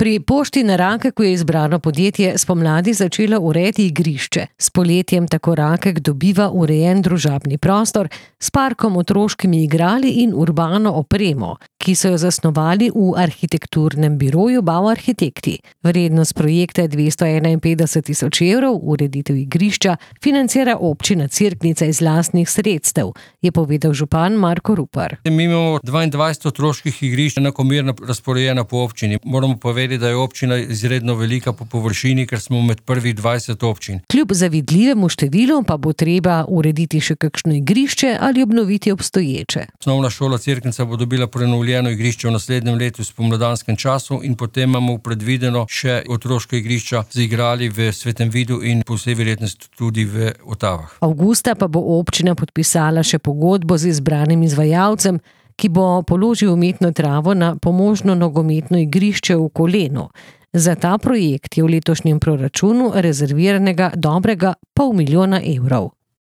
Pri Pošti na Rakeku je izbrano podjetje spomladi začelo urejati igrišče. S poletjem tako Rakek dobiva urejen družabni prostor s parkom, otroškimi igrali in urbano opremo, ki so jo zasnovali v arhitekturnem biroju Bau Arhitekti. Vrednost projekta je 251.000 evrov, ureditev igrišča financira občina Cerknica iz lastnih sredstev, je povedal župan Marko Rupar. Mi imamo 22 otroških igrišč enakomerno razporejena po občini. Moramo povedati, da je občina izredno velika po površini, ker smo med prvih 20 občin. Kljub zavidljivemu številu pa bo treba urediti še kakšno igrišče ali obnoviti obstoječe. Osnovna šola Cerknica bo dobila prenovljeno igrišče v naslednjem letu v spomladanskem času in potem imamo predvideno še otroška igrišča z igrali v Svetem Vidu in po vsej verjetnosti tudi v Otavah. Avgusta pa bo občina podpisala še pogodbo z izbranim izvajalcem, ki bo položil umetno travo na pomožno nogometno igrišče v Kolenu. Za ta projekt je v letošnjem proračunu rezerviranega dobrega 500 000 evrov.